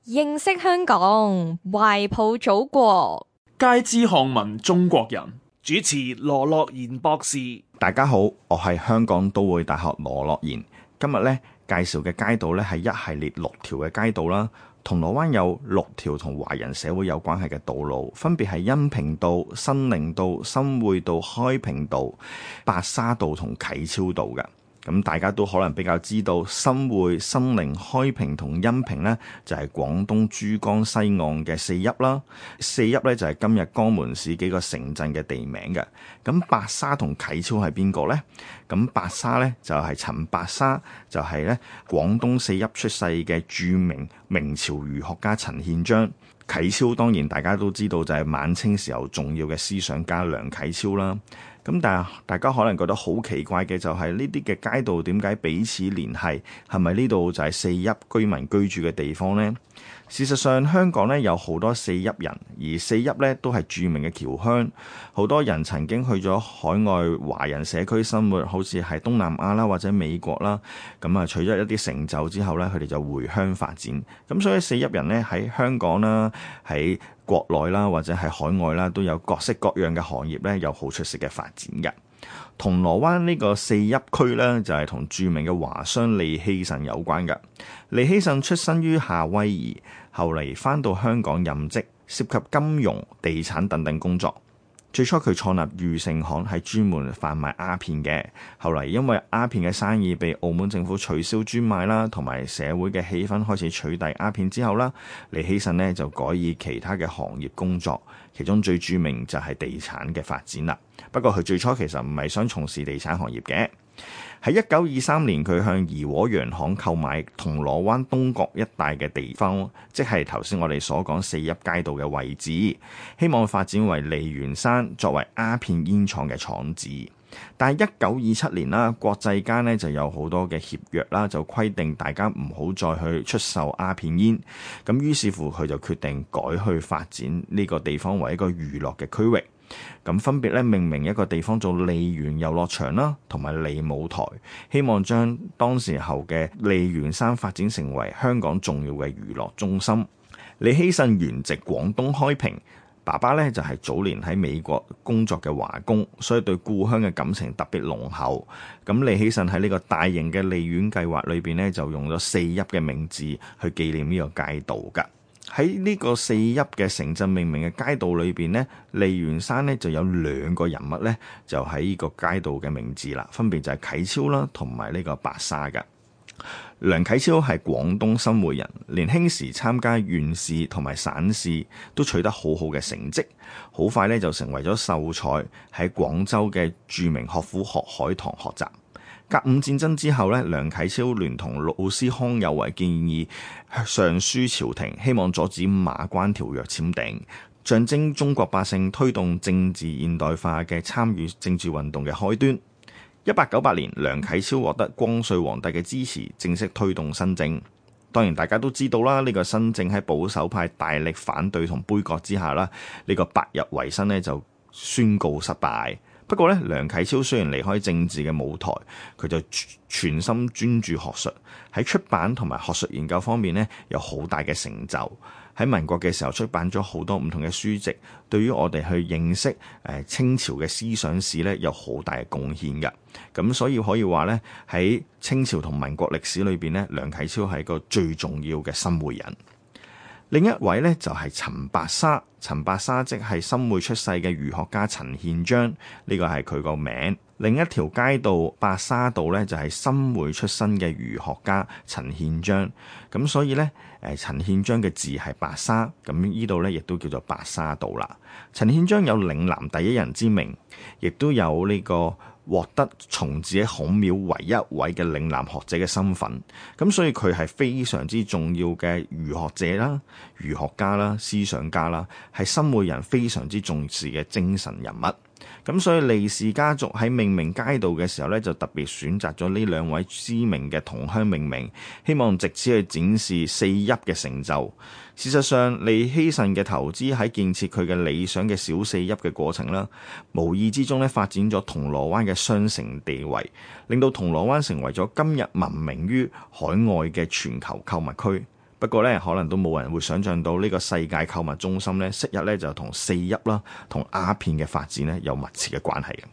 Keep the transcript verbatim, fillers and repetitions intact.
認識香港，懷抱祖國，皆知漢文中國人。主持羅樂賢博士。大家好，我係香港都會大學羅樂賢。今日咧介紹嘅街道咧係一系列六條嘅街道啦。銅鑼灣有六條同華人社會有關係嘅道路，分別係恩平道、新寧道、新會道、開平道、白沙道同啟超道嘅。咁大家都可能比較知道新會、新寧、開平同恩平呢，就係廣東珠江西岸嘅四邑啦。四邑呢，就係今日江門市幾個城鎮嘅地名嘅。咁白沙同啟超係邊個呢？咁白沙呢，就係陳白沙，就係咧廣東四邑出世嘅著名明朝儒學家陳憲章。啟超當然大家都知道就係晚清時候重要嘅思想家梁啟超啦。咁但係大家可能覺得好奇怪嘅就係呢啲嘅街道點解彼此聯繫？係咪呢度就係四邑居民居住嘅地方呢？事實上香港咧有好多四邑人，而四邑咧都係著名嘅僑鄉，好多人曾經去咗海外華人社區生活，好似係東南亞啦或者美國啦。咁啊，取咗一啲成就之後咧，佢哋就回鄉發展。咁所以四邑人咧喺香港啦，喺國內啦或者係海外啦，都有各式各樣嘅行業咧，有好出色嘅發展嘅。銅鑼灣呢個四邑區呢，就係同著名嘅華商利希慎有關嘅。利希慎出身於夏威夷，後嚟返到香港任職，涉及金融、地產等等工作。最初佢創立裕盛行，係專門販賣鴉片嘅。後嚟因為鴉片嘅生意被澳門政府取消專賣啦，同埋社會嘅氣氛開始取締鴉片之後啦，利希慎呢就改以其他嘅行業工作，其中最著名就係地產嘅發展啦。不過佢最初其實唔係想從事地產行業嘅。喺一九二三年，佢向怡和洋行購買銅鑼灣東角一帶嘅地方，即係頭先我哋所講四邑街道嘅位置，希望發展為梨園山作為鴉片煙廠嘅廠址。但係一九二七年啦，國際間呢就有好多嘅協約啦，就規定大家唔好再去出售鴉片煙。咁於是乎佢就決定改去發展呢個地方為一個娛樂嘅區域。咁分別咧命名一個地方做梨園遊樂場啦，同埋梨舞台，希望將當時候嘅梨園山發展成為香港重要嘅娛樂中心。利希慎原籍廣東開平，爸爸咧就係早年喺美國工作嘅華工，所以對故鄉嘅感情特別濃厚。咁利希慎喺呢個大型嘅梨園計劃裏邊咧，就用咗四邑嘅名字去紀念呢個街道㗎。喺呢個四邑嘅城鎮命名嘅街道裏邊呢，梨園山呢就有兩個人物呢，就喺呢個街道嘅名字啦，分別就係啟超啦，同埋呢個白沙嘅。梁啟超係廣東新會人，年輕時參加縣試同埋省試，都取得好好嘅成績，好快呢就成為咗秀才，喺廣州嘅著名學府學海堂學習。甲午戰爭之後咧，梁啟超聯同老師康有為建議上書朝廷，希望阻止馬關條約簽訂，象徵中國百姓推動政治現代化嘅參與政治運動嘅開端。一八九八年，梁啟超獲得光緒皇帝嘅支持，正式推動新政。當然大家都知道啦，呢個新政喺保守派大力反對同杯葛之下啦，呢個百日維新呢就宣告失敗。不過咧，梁啟超雖然離開政治嘅舞台，佢就全心專注學術，喺出版同埋學術研究方面咧有好大嘅成就。喺民國嘅時候出版咗好多唔同嘅書籍，對於我哋去認識誒清朝嘅思想史咧有好大嘅貢獻嘅。咁所以可以話咧，喺清朝同民國歷史裏邊咧，梁啟超係一個最重要嘅新會人。另一位咧就係陳白沙，陳白沙即係新會出世嘅儒學家陳憲章，呢個係佢個名。另一條街道白沙道咧就係新會出身嘅儒學家陳憲章，咁所以咧誒陳憲章嘅字係白沙，咁呢度咧亦都叫做白沙道啦。陳憲章有嶺南第一人之名，亦都有呢個獲得重治喺孔廟唯一位嘅嶺南學者嘅身份，咁所以佢係非常之重要嘅儒學者啦、儒學家啦、思想家啦，係新會人非常之重視嘅精神人物。咁所以利氏家族喺命名街道嘅時候咧，就特別選擇咗呢兩位知名嘅同鄉命名，希望藉此去展示四邑嘅成就。事實上，利希慎嘅投資喺建設佢嘅理想嘅小四邑嘅過程啦，無意之中咧發展咗銅鑼灣嘅雙城地位，令到銅鑼灣成為咗今日聞名於海外嘅全球購物區。不過咧，可能都冇人會想像到呢個世界購物中心咧，昔日咧就同四邑啦、同鴉片嘅發展咧有密切嘅關係嘅。